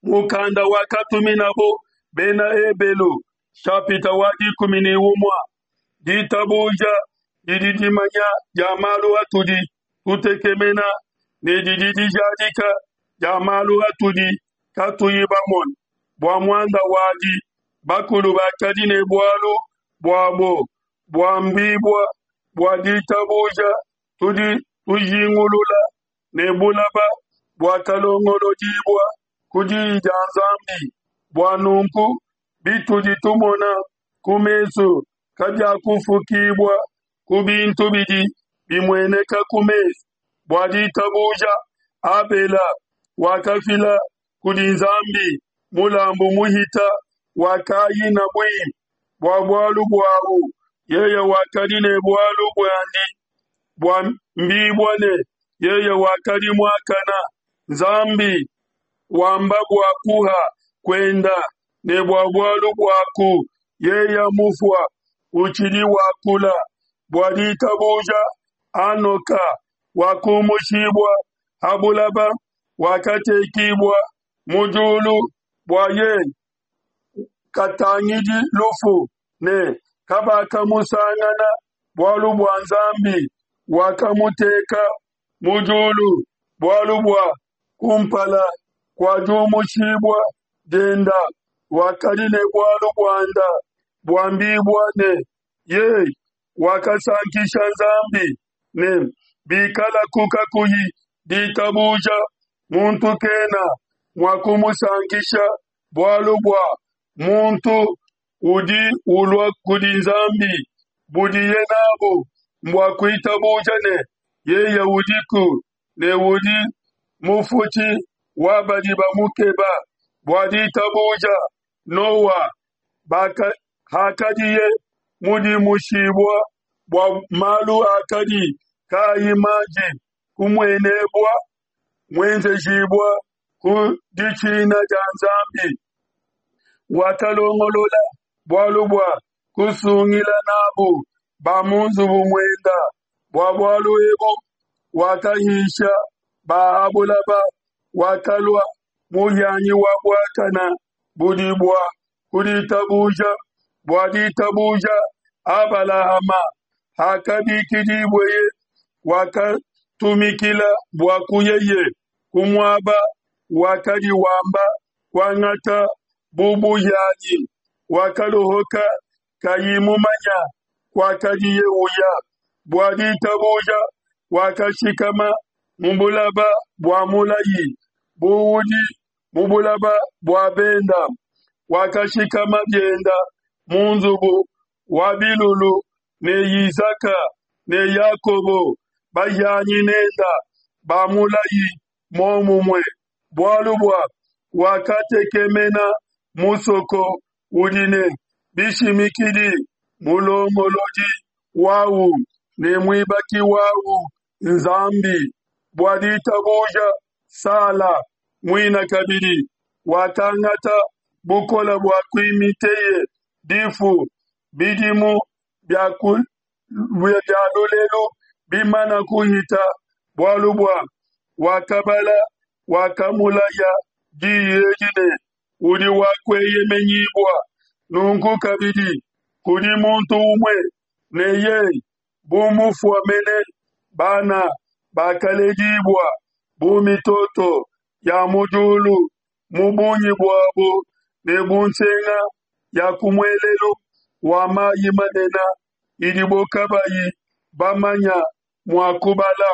Mukanda wakatuminabo Bena Ebelu, shapita wa 11. Ditabuja didi dimanya dia malu atudi tutekemena ne didi dijadika dia malu atudi katuyi bamone. Bua muanda wadi, bakulu bakadi ne bualu buabo buambibua bua ditabuja tudi tujingulula ne bulaba buakalongolodibua ku diyi dia Nzambi. Bua nunku bitudi tumona ku mesu kabiakufukibua ku bintu bidi bimueneka ku mesu. Bua ditabuja, Abela wakafila kudi Nzambi mulambu muhita wa Kaina buimpe. Bua bualu buawu yeye wakadi ne bualu buandi buambibua ne, yeye wakadi muakana. Nzambi wamba bua kuha kuenda, ne bua bualu buaku yeye mufua utshidi wakula. Bua ditabuja Hanoka wakumushibua ha bulaba, wakatekibua mu diulu bua yeye katangidi lufu, ne kabakamusangana, bualu bua Nzambi wakamuteka mu diulu. Bualu bua kumpala kua diumushibua dienda wakadi ne bualu buanda buambibua ne, yeye wakasankisha Nzambi, ne bikalaku kakuyi ditabuja, muntu kena mua kumusankisha, bualu bua muntu udi ulua kudi Nzambi budiye nabu mbua kuitabuja ne, yeye udiku ne udi mufutshi wa badi bamukeba. Bua ditabuja Noa, hakadiye mudimushibua bua malu akadi kaayi manji kumuenebua, muenzejibua ku ditshina dia Nzambi, wakalongolola bualu bua kusungila nabu ba mu nzubu muenda. Bua bualu ebu wakahisha ba ha bulaba, wakalua muhianyi wa buakana budi bua ku ditabuja. Bua ditabuja Abalahama, hakabikidibueye, wakatumikila bua kuyeye ku muaba wakadi wamba kuangata bu buhianyi, wakaluhuka kayi mumanya kuakadiye uya. Bua ditabuja wakashikama mu bulaba bua mulayi, bu udi mu bulaba bua benda, wakashikama bienda mu nzubu wa bilulu ne Yisaka ne Yakobo, bahianyi nenda ba mulayi muomumue, bualu bua wakatekemena musoko udi ne bishimikidi, mulongolodi wawu ne muibaki wawu Nzambi. Bua ditabuja Sala muina kabidi wakangata bukole bua kuimiteye difu, bidimu bia lulelu bimana kuhita, bualu bua wakabala wakamulaya diyi edi ne, udi wa kueyemenyibua. Nunku kabidi kudi muntu umue ne yeye bu mufua mene bana bakaledibua bu mitoto ya mu diulu mu bungi buabo ne bu nsenga ya ku muelelu wa mayi manene idibo kabayi bamanya mua kubala.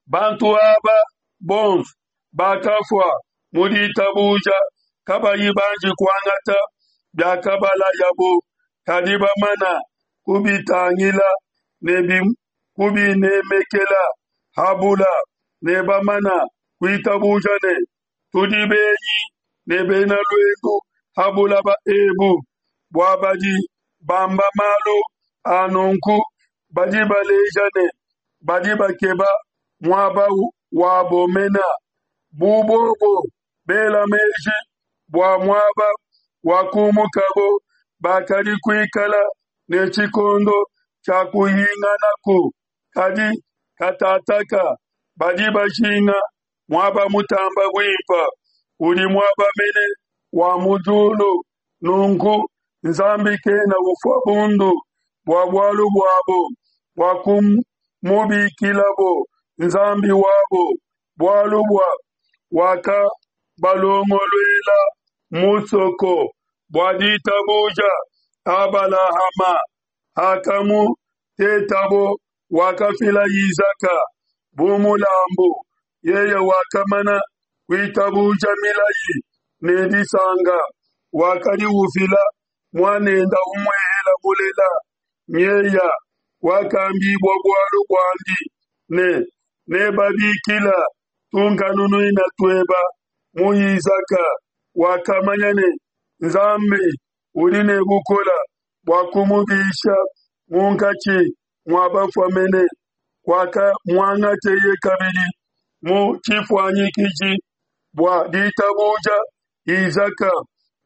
Bantu aba bonso bakafua mu ditabuja kabayi banji kuangata biakabalayabo, kadi bamana kubitangila ne kubinemekela ha bula, ne bamana kuitabuja ne, tudi benyi ne bena luendu ha bulaba ebu. Bua badi bamba malu a nunku badi baleja ne, badi bakeba muaba wabo mena, bu bobo bela meji bua muaba wakumukabo, bakadi kuikala ne tshikondo tshia kuhinganaku. Kadi katataka badi bajinga muaba mutamba buimpe. udi muaba mene wa mu diulu. Nunku Nzambi kena ufua bundu bua bualu buabo, bua kumubikilabo Nzambi wabo, bualu bua wakabalongoluela musoko. Bua ditabuja Abalahama, hakamutetabo, wakafila Isaka bu mulambu. Yeye wakamana kuitabuja milayi ne disanka, wakadi ufila muanende umuehela mulela, nyeya wakambibua bualu buandi ne, Nebabikila tunkanunuina tueba mu Isaka. Wakamanya ne, Nzambi udi ne bukole bua kumubisha munkatshi mua bafua mene, kuakamuangateye kabidi mu tshifuanyikiji. Bua ditabuja Isaka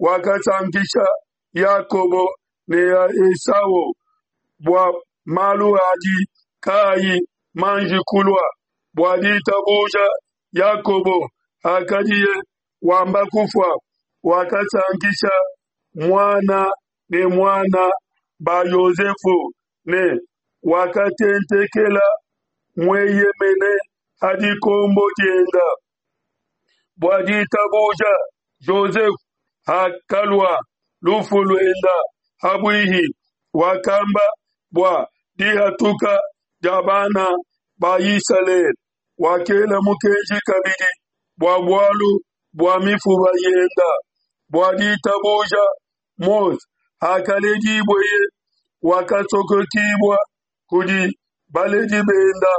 wakasankisha Yakobo ne Esau bua malu adi kaayi manji kulua. Bua ditabuja Yakobo, hakadiye wamba kufua, wakasankisha muana ne muana ba Yosefu ne wakatentekela mueyemene ha dikombo dienda. Bua ditabuja Jozefe, hakalua lufu luenda habuihi, wakamba bua dihatuka dia bana ba Isalele, wakela mukenji kabidi bua bualu bua mifuba yenda. Bua ditabuja Mose, hakaledibueye, wakasokokibua kudi baledi benda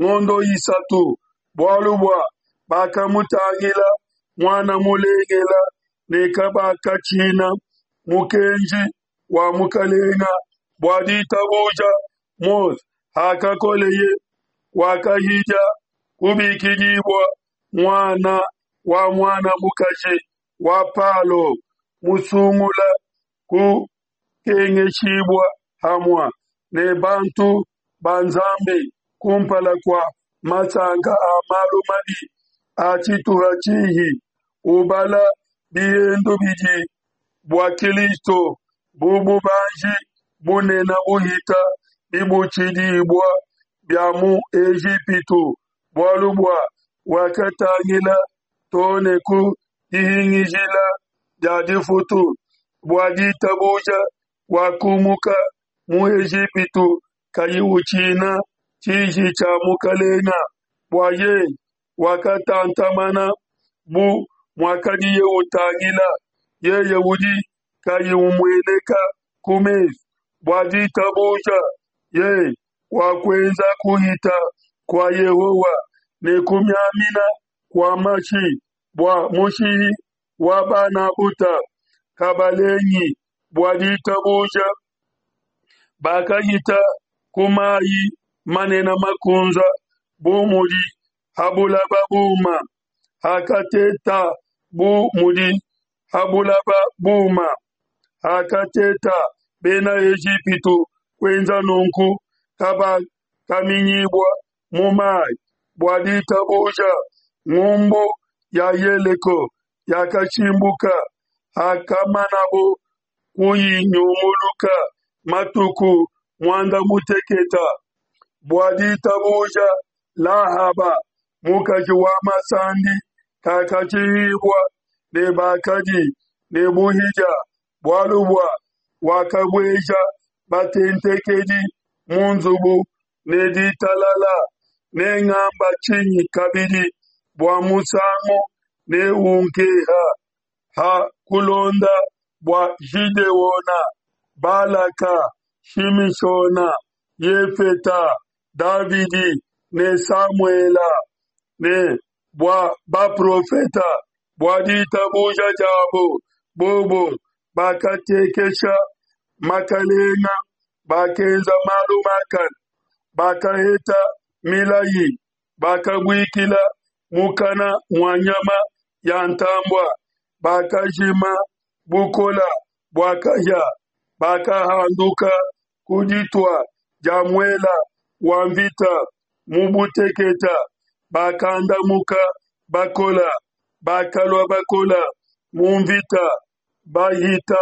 ngondo isatu, bualu bua bakamutangila muana mulengela ne kabakatshina mukenji wa mukalenga. Bua ditabuja Mose, hakakoleye, wakahidia kubikidibua muana wa muana mukaji wa Palo, musungula kukengeshibua hamua ne bantu ba Nzambi kumpala kua masanka a malu mabi a tshituha tshihi, ubala bihendu bidi bua Kilisto bu bubanji bunene buhita bibutshidibua bia mu Ejipitu, bualu bua wakatangila to ne ku dihingijila dia difutu. Bua ditabuja wakumuka mu Ejipitu kayi utshina tshiji tshia mukalenga, bua yeye wakatantamana bu muakadiye utangila yeye udi kayi umueneka ku mesu. Bua ditabuja yeye wakuenza kuhita kua Yehowa ne kumiamina kua mashi bua mushihi wa bana buta kabalengi. Bua ditabuja bakahita ku mayi manene makunza bu mudi ha bulaba buma, hakateta bu mudi ha bulaba buma. Hakateta Bena Ejipitu kuenza nunku, kabakaminyibua mu mayi. Bua ditabuja ngumbu ya Yeleko yakashimbuka, hakamanabo kuyinyunguluka matuku muanda muteketa. Bua ditabuja Lahaba mukaji wa masandi kakatshihibua ne bakadi ne buhidia, bualu bua wakabueja batentekedi mu nzubu ne ditalala. Nengamba tshinyi kabidi bua musangu neunkeha ha kulonda bua Gideona, Balaka, Shimishona, Yefeta, Davidi ne Samuela, ne bua baprofeta? Bua ditabuja diabo bobo bakatekesha makalenga, bakenza malu makane, bakaheta milayi, bakabuikila mukana mua nyama ya ntambua, bakajima bukola bua kahia, bakahanduka ku ditua dia muela wa mvita mu buteketa, bakandamuka bakola. bakalua bakola mu mvita, bahita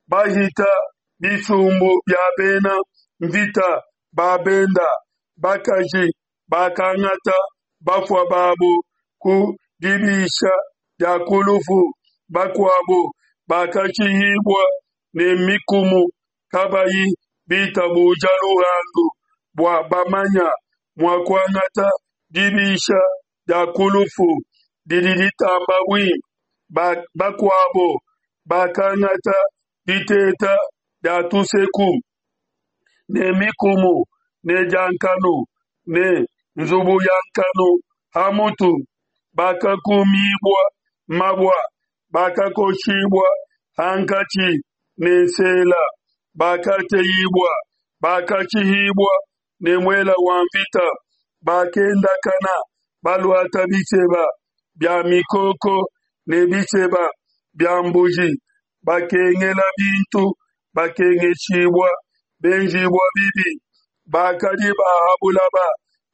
bahita bisumbu bia bena mvita ba benda. Bakaji bakangata bafua babo ku dibisha dia ku lufu, bakuabo bakashihibua ne mikumu, kabayi bitabuja luhandu, bua bamanya mua kuangata dibisha dia ku lufu didi ditamba buimpe. Bakuabo bakangata diteta dia tuseku ne mikumu ne dia nkanu ne nzubu ya nkanu ha mutu, bakakumibua mabua, bakakoshibua hankatshi ne nsela, bakateyibua, bakashihibua ne muele wa nvita, bakendakana baluata biseba bia mikoko ne biseba bia mbuji, bakengela bintu, bakengeshibua, benjibua bibi, bakadi ba ha bulaba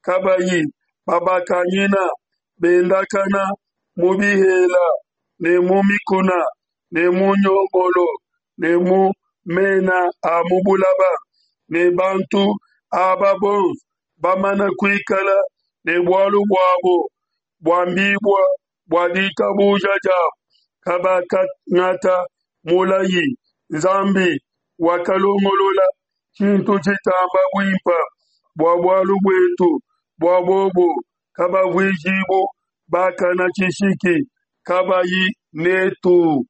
kabayi babakanyina, bendakana mu bihela ne mu mikuna ne mu nyongolo ne mu mena a mu bulaba. Ne bantu aba bonso bamana kuikala ne bualu buabo buambibua bua ditabuja diabo, kabakangata mulayi. Nzambi wakalongolola tshintu tshitamba buimpe bua bualu buetu, bua bobo kabavuijibu bakana tshishiki kabayi netu.